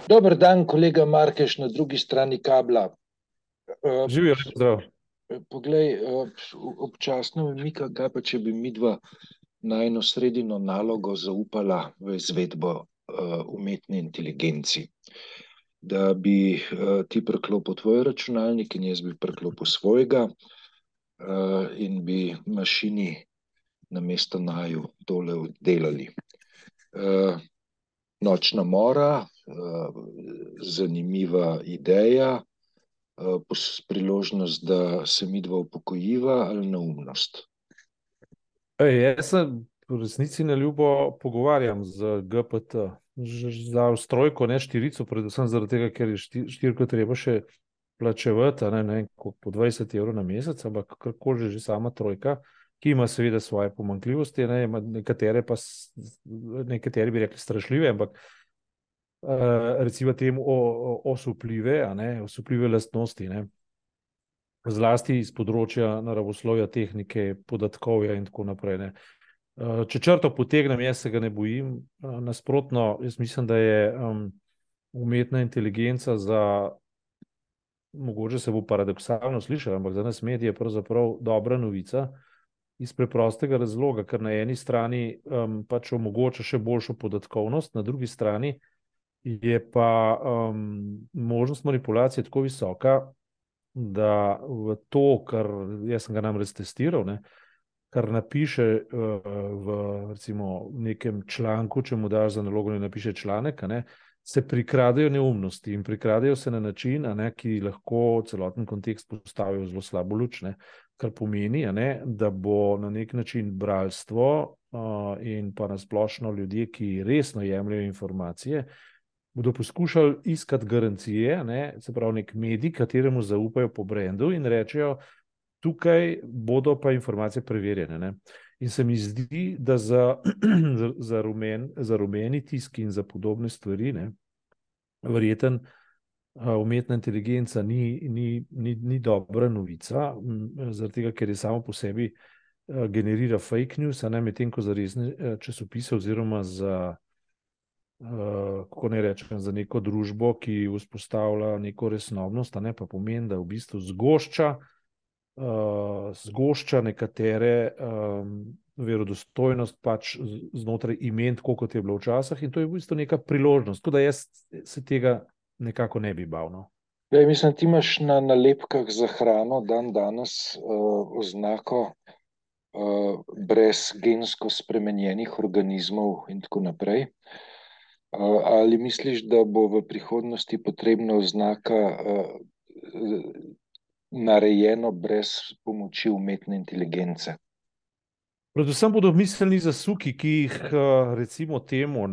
Dober dan, kolega Markeš, na drugi strani kabla. Eh, Živijo, lep zdrav. Poglej, občasno me mika, kaj pa če bi midva najino sredino nalogo zaupala v izvedbo umetne inteligenci. Da bi ti priklopil tvoj računalnik in jaz bi priklopil svojega in bi mašini namesto naju tole delali. Eh, Nočna mora, zanimiva ideja, priložnost, da se midva upokojiva ali neumnost. Jaz se v resnici na ljubo pogovarjam z GPT. Za ustrojko, ne štirico, predvsem zaradi tega, ker je štirko treba še plačevati, ne vem, koliko, po 20 evrov na mesec, ampak karkoli že sama trojka, ki ima seveda svoje pomanjkljivosti, ne, ima nekatere pa, nekateri bi rekli strašljive, ampak recimo temu osupljive, osupljive lastnosti, ne. Zlasti iz področja naravoslovja, tehnike, podatkovja in tako naprej. Ne. Če črto potegnem, jaz se ga ne bojim. Nasprotno, jaz mislim, da je umetna inteligenca mogoče se bo paradoksalno slišalo, ampak za nas medije je pravzaprav dobra novica iz preprostega razloga, ker na eni strani pač omogoča še boljšo podatkovnost, na drugi strani je pa možnost manipulacije tako visoka, da v to, kar jaz sem ga namreč testiral, ne, kar napiše v recimo nekem članku, če mu daš za nalogo, ne napiše članek, se prikradejo neumnosti in prikradejo se na način, ki lahko celoten kontekst postavijo v zelo slabo luč, kar pomeni, da bo na nek način bralstvo in pa nasplošno ljudje, ki resno jemljajo informacije, bodo poskušali iskati garancije, se pravi nek medij, kateremu zaupajo po brendu in rečejo, tukaj bodo pa informacije preverjene. Ne. In se mi zdi, da za rumeni tisk in za podobne stvari, verjeten umetna inteligenca ni dobra novica, zaradi tega, ker je samo po sebi generira fake news, medtem ko za resne časopise oziroma za kako ne rečem, za neko družbo, ki vzpostavlja neko resnobnost, pa pomeni, da v bistvu zgošča nekatere verodostojnost pač znotraj imen, tako kot je bilo včasih, in to je v bistvu neka priložnost. Tako da jaz se tega nekako ne bi bal. No. Mislim, ti imaš na nalepkah za hrano dan danes oznako brez gensko spremenjenih organizmov in tako naprej. Ali misliš, da bo v prihodnosti potrebna oznaka narejeno brez pomoči umetne inteligence? Predvsem bodo miselni zasuki, ki jih recimo temu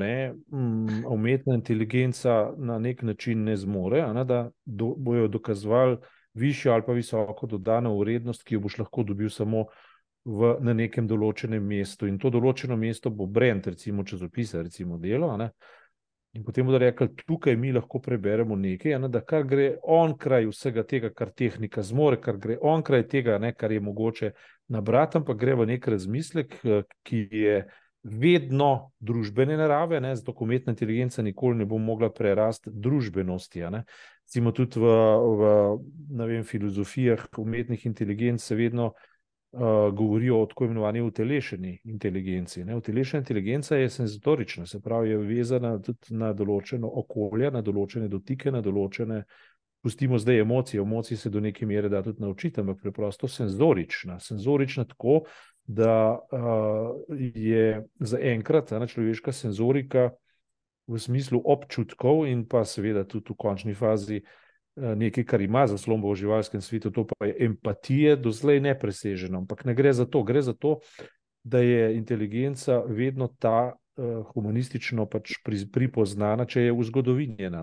umetna inteligenca na nek način ne zmore, da bojo dokazovali višjo ali pa visoko dodano vrednost, ki jo boš lahko dobil samo na nekem določenem mestu. In to določeno mesto bo brand, recimo časopisa, recimo Delo, in potem bodo rekli, tukaj mi lahko preberemo nekaj, da kar gre onkraj vsega tega, kar tehnika zmore, kar gre onkraj tega, kar je mogoče nabrati, ampak gre v nek razmislek, ki je vedno družbene narave, zato umetna inteligenca nikoli ne bo mogla prerasti družbenosti. Recimo tudi v filozofijah umetnih inteligenc se vedno govorijo o tako imenovani utelešeni inteligenci. Utelešena inteligenca je senzatorična, se pravi, je vezana tudi na določeno okolje, na določene dotike, na določene, pustimo zdaj emocije, emocije se do neke mere da tudi naučiti, ampak preprosto senzorična. Senzorična tako, da je zaenkrat človeška senzorika v smislu občutkov in pa seveda tudi v končni fazi nekaj, kar ima zaslombo v živalskem svetu, to pa je empatije, doslej nepreseženo. Ampak ne gre za to, gre za to, da je inteligenca vedno ta humanistično pač pripoznana, če je vzgodovinjena.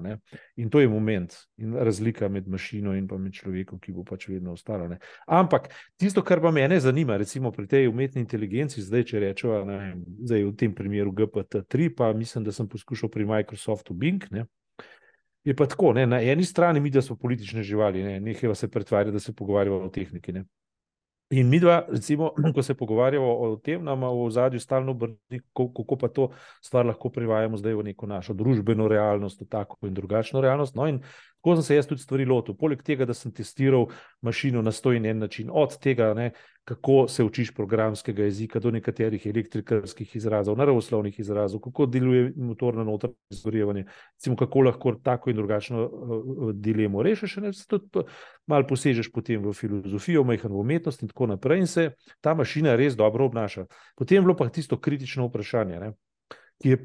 In to je moment in razlika med mašino in pa med človekom, ki bo pač vedno ostala. Ampak tisto, kar pa mene zanima, recimo pri tej umetni inteligenci, zdaj, če rečeva, zdaj v tem primeru GPT-3, pa mislim, da sem poskušal pri Microsoftu Bing, je pa tako, na eni strani mi, da smo politične živali, nehajva se pretvarjati, da se pogovarjamo o tehniki. In mi dva, recimo, ko se pogovarjamo o tem, nam v ozadju stalno brni, kako pa to stvar lahko privajamo zdaj v neko našo družbeno realnost, v tako in drugačno realnost. No, in tako sem se jaz tudi stvari lotil. Poleg tega, da sem testiral mašino na 101 način, od tega, ne, kako se učiš programskega jezika, do nekaterih elektrikarskih izrazov, naravoslovnih izrazov, kako deluje motorno notranje izgorevanje, recimo, kako lahko tako in drugačno dilemo rešiš, ne, tudi malo posežeš potem v filozofijo, majhen v umetnost in tako naprej, in se ta mašina res dobro obnaša. Potem je bilo pa tisto kritično vprašanje, ne, ki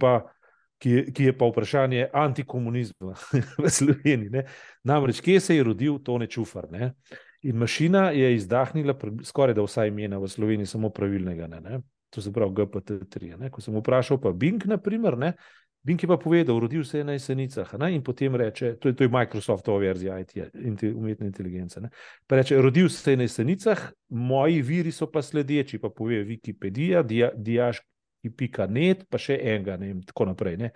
je pa vprašanje antikomunizma v Sloveniji. Ne. Namreč, kje se je rodil Tone Čufar? Ne? In mašina je izdahnila skoraj da vsa imena v Sloveniji, samo pravilnega. Ne? To se pravi GPT-3. Ne? Ko sem vprašal pa Bing, naprimer, ne? Bing je pa povedal, rodil se je na Jesenicah, ne? In potem reče, to je Microsoftova verzija IT, umetne inteligence, ne? Pa reče, rodil se je na Jesenicah, moji viri so pa sledeči, pa pove Wikipedija, diaški.net, pa še enega, ne, in tako naprej. Ne?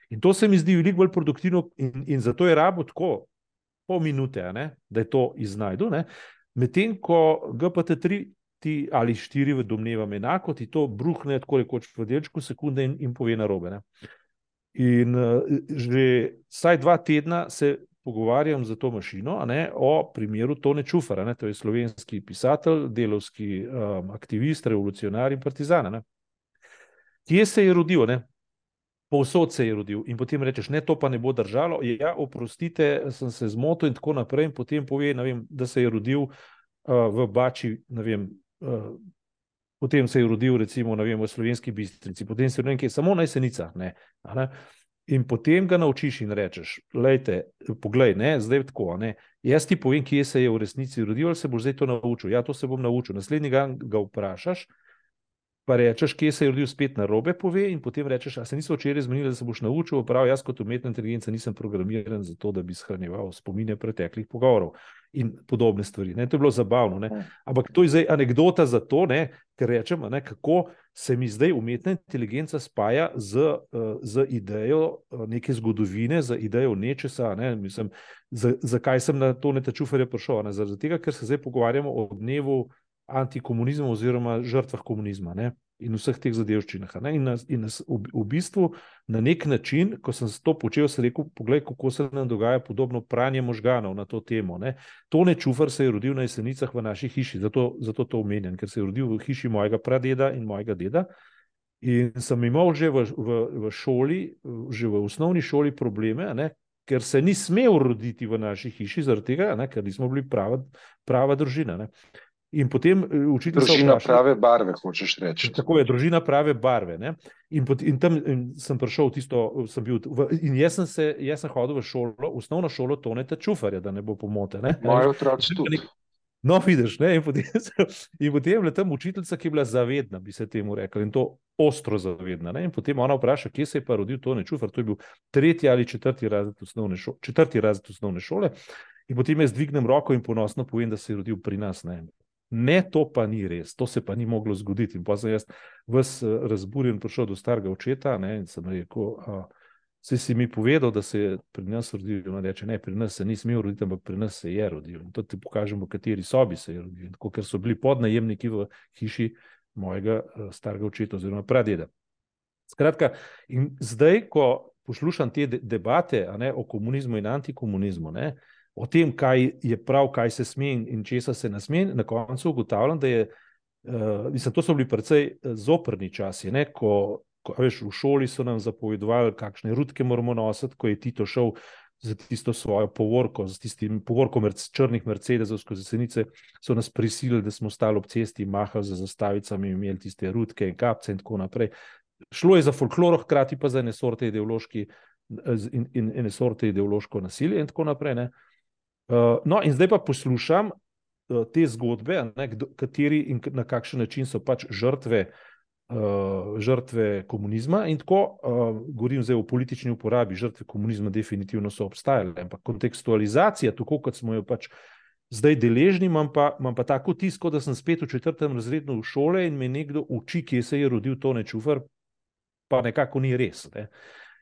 In to se mi zdi veliko bolj produktivno in zato je rabo tako pol minute, ne, da je to iznajdu, medtem ko GPT-3 ti ali 4 domnevam enako, ti to bruhne tako rekoč v delčku sekunde in pove narobe. Ne. In že vsaj 2 tedna se pogovarjam za to mašino, ne, o primeru Tone Čufara, ne, to je slovenski pisatelj, delavski aktivist, revolucionar in partizan. Ne. Kje se je rodil? Ne? Povsod se je rodil in potem rečeš, ne, to pa ne bo držalo, ja, oprostite, sem se zmotil in tako naprej, in potem pove, ne vem, da se je rodil v Bači, ne vem, potem se je rodil recimo, ne vem, v Slovenski Bistrici, potem se je rodil samo na Jesenicah, ne. In potem ga naučiš in rečeš, lejte, poglej, ne, zdaj tako, ne, jaz ti povem, kje se je v resnici rodil, ali se boš zdaj to naučil? Ja, to se bom naučil. Naslednji dan ga vprašaš, pa rečeš, kje se je rodil, spet narobe pove, in potem rečeš, a se niso včeraj zmenili, da se boš naučil? Prav, jaz kot umetna inteligenca nisem programiran za to, da bi shranjeval spomine preteklih pogovorov in podobne stvari. Ne? To je bilo zabavno. Ne? Ampak to je zdaj anekdota za to, ne? Ker rečem, ne, kako se mi zdaj umetna inteligenca spaja z idejo neke zgodovine, z idejo nečesa. Ne? Mislim, zakaj sem na Toneta Čufarja prišel? Ne? Zaradi tega, ker se zdaj pogovarjamo o dnevu antikomunizma oziroma žrtvah komunizma, ne? In vseh teh zadevščinah. Ne? In v bistvu na nek način, ko sem to počel, sem rekel, poglej, kako se nam dogaja podobno pranje možganov na to temo. Ne? Tone Čufar se je rodil na Jesenicah v naši hiši, zato to omenjam, ker se je rodil v hiši mojega pradeda in mojega deda. In sem imel že v šoli, že v osnovni šoli probleme, ne? Ker se ni smel roditi v naši hiši, zaradi tega, ne? Ker nismo bili prava družina. Ne? In potem učitelj družina prave barve, hočeš reči. Tako je, družina prave barve. Ne? In tam sem prišel tisto, in jaz sem hodil v šolo, osnovno šolo Toneta Čufarja, da ne bo pomote. Ne? Moji otroci tudi. No, vidiš, ne? In potem je bila tam učiteljica, ki je bila zavedna, bi se temu rekli, in to ostro zavedna. Ne? In potem ona vpraša, kje se je pa rodil Tone Čufar, to je bil 3. ali 4. razred osnovne šole. In potem jaz dvignem roko in ponosno povem, da se je rodil pri nas. Ne, to pa ni res, to se pa ni moglo zgoditi. In pa sem jaz ves razburjen prišel do starega očeta, ne, in sem rekel, saj si mi povedal, da se je pri nas rodil. On reče, ne, pri nas se ni smel roditi, ampak pri nas se je rodil. In to ti pokažem, v kateri sobi se je rodil. Tako, ker so bili podnajemniki v hiši mojega starega očeta oziroma pradeda. Skratka, in zdaj, ko poslušam te debate, ne, o komunizmu in antikomunizmu, ne, o tem, kaj je prav, kaj se sme in česa se ne sme, na koncu ugotavljam, da je, to so bili precej zoprni časi, ne? Ko veš, v šoli so nam zapovedovali, kakšne rutke moramo nositi, ko je Tito šel za tisto svojo povorko, z tistim povorkom črnih Mercedesov skozi Jesenice, so nas prisilili, da smo stali ob cesti, mahali za zastavicami, imeli tiste rutke in kapce in tako naprej. Šlo je za folkloro, hkrati pa za ene sorte ideološko nasilje in tako naprej, ne? No, in zdaj pa poslušam te zgodbe, ne, kateri in na kakšen način so pač žrtve komunizma, in tako govorim zdaj o politični uporabi. Žrtve komunizma definitivno so obstajale, ampak kontekstualizacija, tako kot smo jo pač zdaj deležni, imam pa tako tisko, da sem spet v 4. razredu v šole in me nekdo uči, kje se je rodil Tone Čufar, pa nekako ni res. Ne.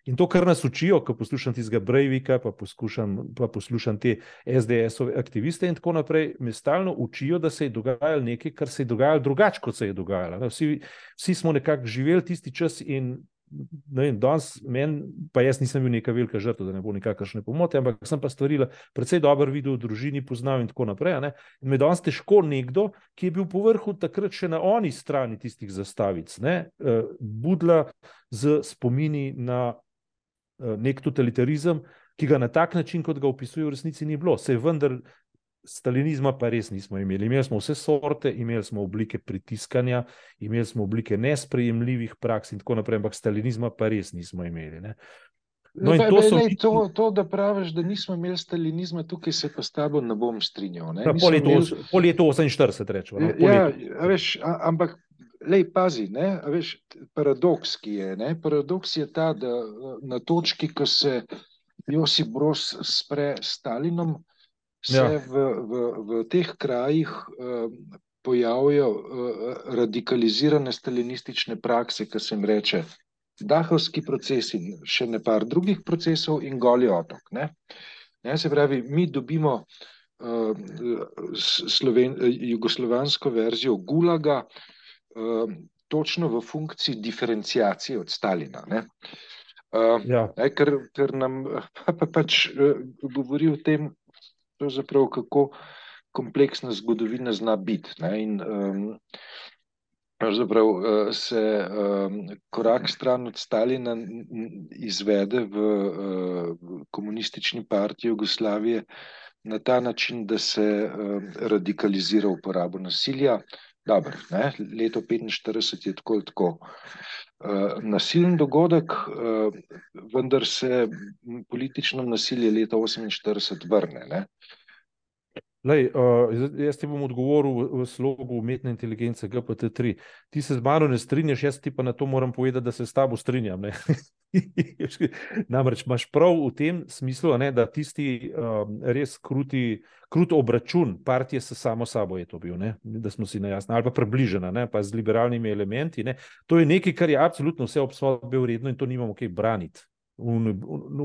In to, kar nas učijo, ko poslušam tistega Breivika, pa poslušam te SDS-ove aktiviste in tako naprej, me stalno učijo, da se je dogajalo nekaj, kar se je dogajalo drugače, kot se je dogajalo. Vsi smo nekako živeli tisti čas in ne vem, danes pa jaz nisem bil neka velika žrtev, da ne bo nikakršne pomote, ampak sem pa stvari precej dobro videl, v družini poznal in tako naprej. Ne? In me danes težko nekdo, ki je bil po vrhu takrat še na oni strani tistih zastavic, budla z spomini na nek totalitarizem, ki ga na tak način, kot ga opisuje, v resnici ni bilo. Saj vendar stalinizma pa res nismo imeli. Imeli smo vse sorte, imeli smo oblike pritiskanja, imeli smo oblike nesprejemljivih praks in tako naprej, ampak stalinizma pa res nismo imeli. Ne? No, to, da praviš, da nismo imeli stalinizma, tukaj se pa s tabo ne bom strinjal. Po letu 48 rečemo. Veš, ampak lej, pazi, veš, paradoks, ki je. Paradoks je ta, da na točki, ko se Josip Broz spre s Stalinom, se v teh krajih pojavijo radikalizirane stalinistične prakse, ki se jim reče Dahovski proces in še nepar drugih procesov in Goli otok. Se pravi, mi dobimo jugoslovansko verzijo Gulaga točno v funkciji diferenciacije od Stalina. Ker nam pač govori o tem, pravzaprav, kako kompleksna zgodovina zna biti. In pravzaprav se korak stran od Stalina izvede v komunistični partiji Jugoslavije na ta način, da se radikalizira uporabo nasilja. Dobro, leto 45 je tako nasilen dogodek, vendar se politično nasilje leta 48 vrne. Jaz ti bom odgovoril v slogu umetne inteligence GPT-3. Ti se z mano ne strinjaš, jaz ti pa na to moram povedati, da se s tabo strinjam. Namreč imaš prav v tem smislu, da tisti res krut obračun partije s samo sabo je to bil, da smo si najjasni, ali pa približena, pa z liberalnimi elementi. To je nekaj, kar je absolutno vse obsodbe vredno in to nimamo kaj braniti. V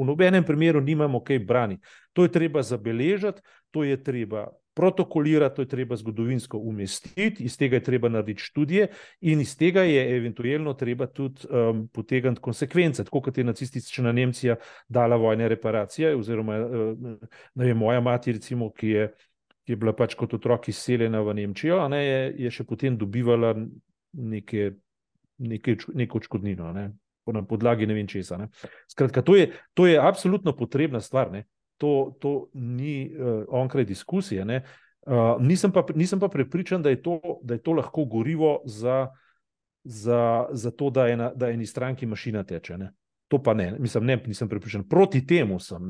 nobenem primeru nimamo kaj braniti. To je treba zabeležiti, to je treba protokolirati, to je treba zgodovinsko umestiti, iz tega je treba narediti študije in iz tega je eventualno treba tudi potegniti konsekvence, tako kot je nacistična Nemčija dala vojne reparacije, oziroma moja mati, recimo, ki je bila pač kot otrok izseljena v Nemčijo, je še potem dobivala neko odškodnino, na podlagi ne vem česa. Skratka, to je absolutno potrebna stvar. To ni onkraj diskusije. Nisem pa prepričan, da je to lahko gorivo za to, da eni stranki mašina teče. To pa ne. Nisem prepričan. Proti temu sem.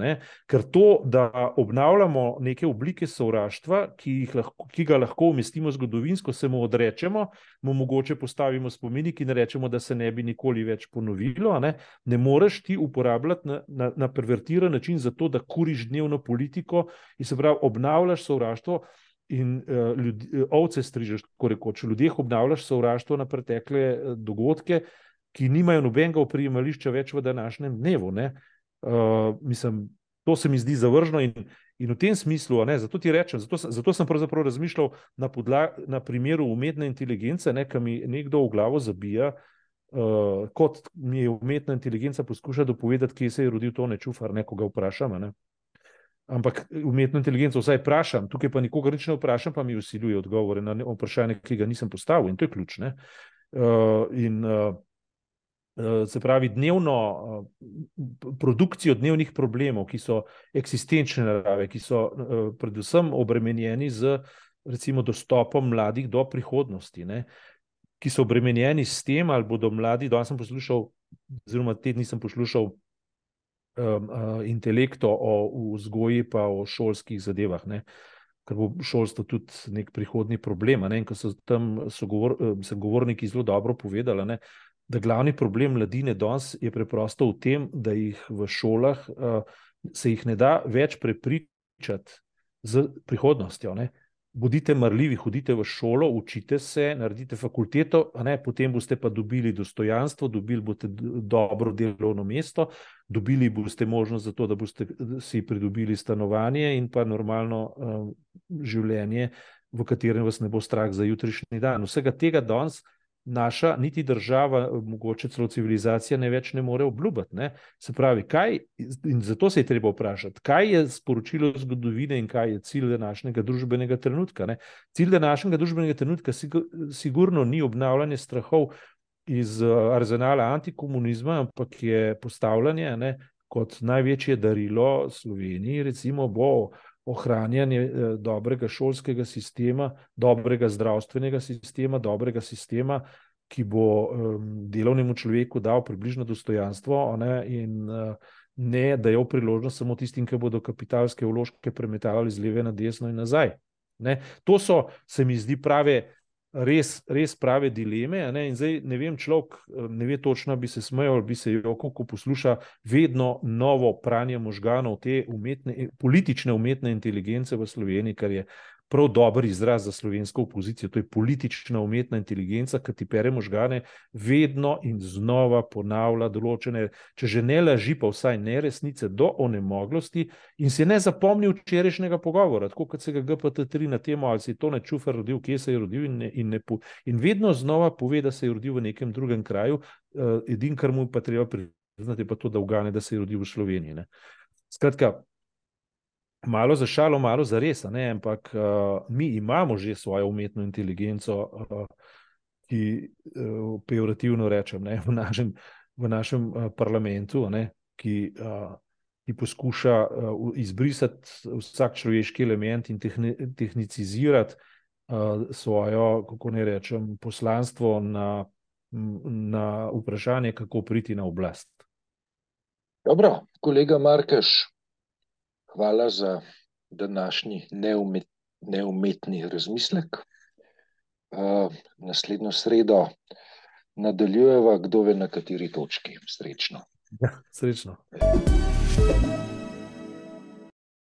Ker to, da obnavljamo neke oblike sovraštva, ki ga lahko umestimo zgodovinsko, se mu odrečemo, mu mogoče postavimo spomenik in rečemo, da se ne bi nikoli več ponovilo. Ne moreš ti uporabljati na pervertiran način za to, da kuriš dnevno politiko in se pravi obnavljaš sovraštvo in ovce strižeš, tako rekoč. Ljudeh obnavljaš sovraštvo na pretekle dogodke, ki nimajo nobenega oprijemališča več v današnjem dnevu. To se mi zdi zavržno in v tem smislu, zato ti rečem, zato sem pravzaprav razmišljal na primeru umetne inteligence, ki mi nekdo v glavo zabija, kot mi je umetna inteligenca poskuša dopovedati, kje se je rodil Tone Čufar, ko ga vprašam. Ampak umetno inteligenco vsaj vprašam, tukaj pa nikogar nič ne vprašam, pa mi vsiljuje odgovore na vprašanje, ki ga nisem postavil in to je ključ. Se pravi, produkcijo dnevnih problemov, ki so eksistenčne narave, ki so predvsem obremenjeni z recimo dostopom mladih do prihodnosti, ki so obremenjeni s tem, ali bodo mladi, danes sem poslušal, oziroma te dni sem poslušal intelekto o vzgoji pa o šolskih zadevah, ker bo šolstvo tudi nek prihodnji problem, in ko so tam sogovorniki zelo dobro povedali, da glavni problem mladine danes je preprosto v tem, da jih v šolah se jih ne da več prepričati z prihodnostjo. bodite marljivi, hodite v šolo, učite se, naredite fakulteto, potem boste pa dobili dostojanstvo, dobili boste dobro delovno mesto, dobili boste možnost za to, da boste si pridobili stanovanje in pa normalno življenje, v katerem vas ne bo strah za jutrišnji dan. Vsega tega danes naša niti država, mogoče celo civilizacija več ne more obljubiti. Ne? Se pravi, in zato se je treba vprašati, kaj je sporočilo zgodovine in kaj je cilj današnjega družbenega trenutka. Ne? Cilj današnjega družbenega trenutka sigurno ni obnavljanje strahov iz arzenala antikomunizma, ampak je postavljanje kot največje darilo Sloveniji, recimo bo ohranjanje dobrega šolskega sistema, dobrega zdravstvenega sistema, dobrega sistema, ki bo delovnemu človeku dal približno dostojanstvo in ne dajal priložnost samo tistim, ki bodo kapitalske vložke premetavali z leve na desno in nazaj. To so, se mi zdi, res prave dileme. In zdaj ne vem, človek ne ve točno, bi se smejal, bi se jokal, ko posluša vedno novo pranje možganov te politične umetne inteligence v Sloveniji, kar je prav dober izraz za slovensko opozicijo. To je politična umetna inteligenca, ki ti pere možgane, vedno in znova ponavlja določene, če že ne laži, pa vsaj neresnice do onemoglosti in se ne zapomni včerajšnjega pogovora, tako kot se ga GPT-3 na temo, ali se je Tone Čufer rodil, kje se je rodil in vedno znova pove, da se je rodil v nekem drugem kraju, edino, kar mu pa treba priznati, je pa to, da ugane, da se je rodil v Sloveniji. Skratka, malo za šalo, malo za res, ampak mi imamo že svojo umetno inteligenco, ki pejorativno rečem, v našem parlamentu, ki poskuša izbrisati vsak človeški element in tehnicizirati svojo, kako ne rečem, poslanstvo na vprašanje, kako priti na oblast. Dobro, kolega Markeš, hvala za današnji neumetni razmislek. Naslednjo sredo nadaljujeva, kdo ve na kateri točki. Srečno. Ja, srečno.